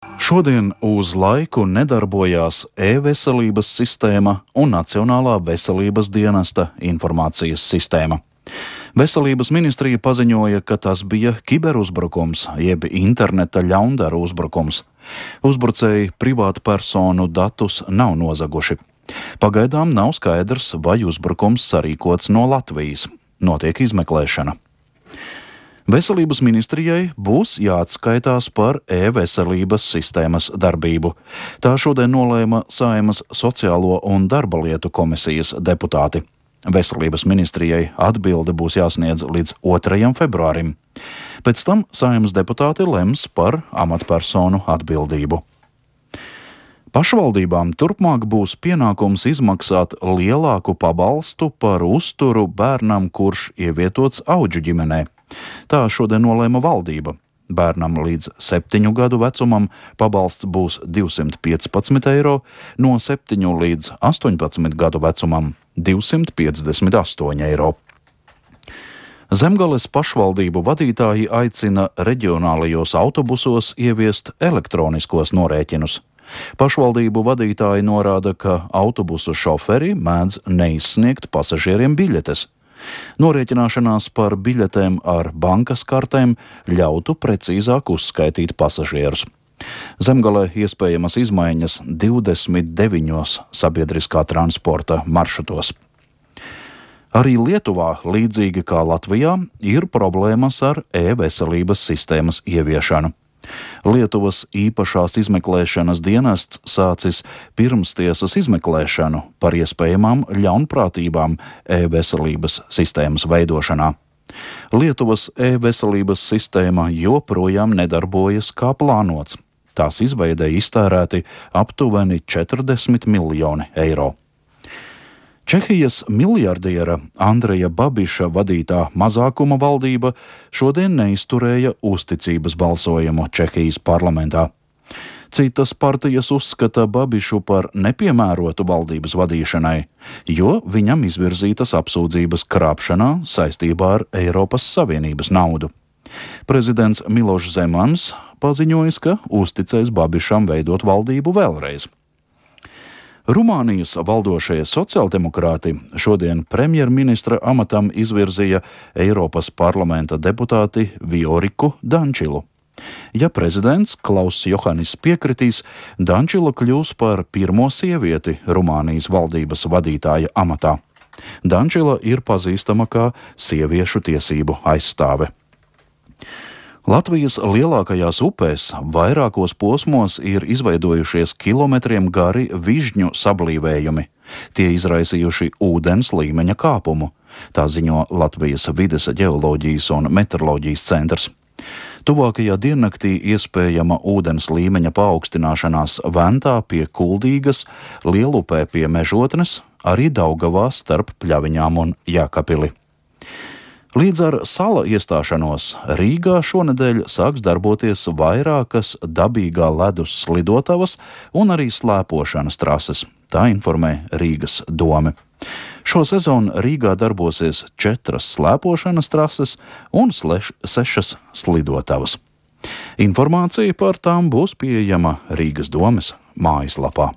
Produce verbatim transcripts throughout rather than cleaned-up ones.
Šodien uz laiku nedarbojās e-veselības sistēma un Nacionālā veselības dienesta informācijas sistēma. Veselības ministrija paziņoja, ka tas bija kiberuzbrukums, jeb interneta ļaundaru uzbrukums. Uzbrucēji privātpersonu datus nav nozaguši. Pagaidām nav skaidrs, vai uzbrukums sarīkots no Latvijas. Notiek izmeklēšana. Veselības ministrijai būs jāatskaitās par e-veselības sistēmas darbību. Tā šodien nolēma Saeimas Sociālo un darba lietu komisijas deputāti. Veselības ministrijai atbilde būs jāsniedz līdz otrajam februārim. Pēc tam Saeimas deputāti lems par amatpersonu atbildību. Pašvaldībām turpmāk būs pienākums izmaksāt lielāku pabalstu par uzturu bērnam, kurš ievietots audžu ģimenē. Tā šodien nolēma valdība. Bērnam līdz septiņu gadu vecumam pabalsts būs divsimt piecpadsmit eiro, no septiņu līdz astoņpadsmit gadu vecumam divsimt piecdesmit astoņi eiro. Zemgales pašvaldību vadītāji aicina reģionālajos autobusos ieviest elektroniskos norēķinus. Pašvaldību vadītāji norāda, ka autobusu šoferi mēdz neizsniegt pasažieriem biļetes. Norēķināšanās par biļetēm ar bankas kartēm ļautu precīzāk uzskaitīt pasažierus. Zemgalē iespējamas izmaiņas divdesmit deviņos sabiedriskā transporta maršrutos. Arī Lietuvā, līdzīgi kā Latvijā, ir problēmas ar e-veselības sistēmas ieviešanu. Lietuvas īpašās izmeklēšanas dienests sācis pirmstiesas izmeklēšanu par iespējamām ļaunprātībām e-veselības sistēmas veidošanā. Lietuvas e-veselības sistēma joprojām nedarbojas kā plānots. Tās izveidei iztērēti aptuveni četrdesmit miljoni eiro. Čehijas miljardiera Andreja Babiša vadītā mazākuma valdība šodien neizturēja uzticības balsojumu Čehijas parlamentā. Citas partijas uzskata Babišu par nepiemērotu valdības vadīšanai, jo viņam izvirzītas apsūdzības krāpšanā saistībā ar Eiropas Savienības naudu. Prezidents Milošs Zemans paziņojis, ka uzticēs Babišam veidot valdību vēlreiz. Rumānijas valdošie sociāldemokrāti šodien premjerministra amatam izvirzīja Eiropas parlamenta deputāti Vioriku Dančilu. Ja prezidents Klauss Johannis piekritīs, Dančila kļūs par pirmo sievieti Rumānijas valdības vadītāja amatā. Dančila ir pazīstama kā sieviešu tiesību aizstāve. Latvijas lielākajās upēs vairākos posmos ir izveidojušies kilometriem gari vižņu sablīvējumi. Tie izraisījuši ūdens līmeņa kāpumu, tā ziņo Latvijas vides ģeoloģijas un meteoroloģijas centrs. Tuvākajā diennaktī iespējama ūdens līmeņa paaugstināšanās Ventā pie Kuldīgas, Lielupē pie Mežotnes, arī Daugavā starp Pļaviņām un Jēkabili. Līdz ar sala iestāšanos Rīgā šonedēļ sāks darboties vairākas dabīgā ledus slidotavas un arī slēpošanas trases, tā informē Rīgas dome. Šo sezonu Rīgā darbosies četras slēpošanas trases un sleš, sešas slidotavas. Informācija par tām būs pieejama Rīgas domes mājaslapā.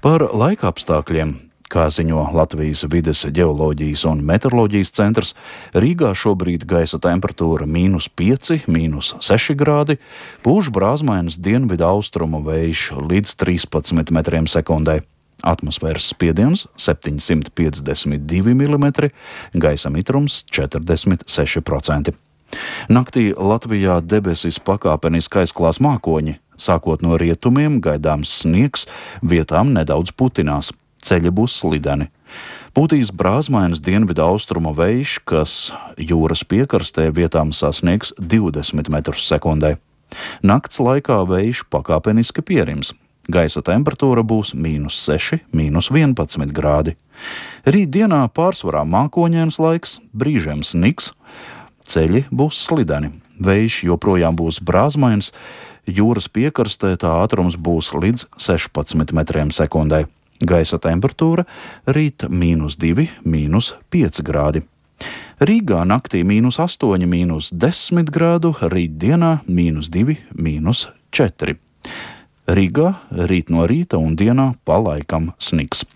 Par laika apstākļiem. Kā ziņo Latvijas vides ģeoloģijas un meteoroloģijas centrs, Rīgā šobrīd gaisa temperatūra mīnus pieci, mīnus seši grādi, pūš brāzmainas dienvidu austrumu vējš līdz trīspadsmit metriem sekundē. Atmosfēras spiediens septiņsimt piecdesmit divi milimetri, gaisa mitrums četrdesmit seši procenti. Naktī Latvijā debesis pakāpeniski aizklās mākoņi, sākot no rietumiem gaidāms sniegs, vietām nedaudz putinās. Ceļi būs slideni. Pūtīs brāzmainas dienvidu austrumu vējš, kas jūras piekrastē vietām sasniegs divdesmit metrus sekundē. Nakts laikā vējš pakāpeniski pierims. Gaisa temperatūra būs mīnus seši, mīnus vienpadsmit grādi. Rīt dienā pārsvarā mākoņains laiks, brīžiem sniks, ceļi būs slideni. Vējš joprojām būs brāzmains, jūras piekrastē tā ātrums būs līdz sešpadsmit metriem sekundē. Gaisa temperatūra rīt mīnus divi, mīnus pieci grādi. Rīgā naktī mīnus astoņi, mīnus desmit grādu, rīt dienā mīnus divi, mīnus četri. Rīgā rīt no rīta un dienā pa laikam sniks.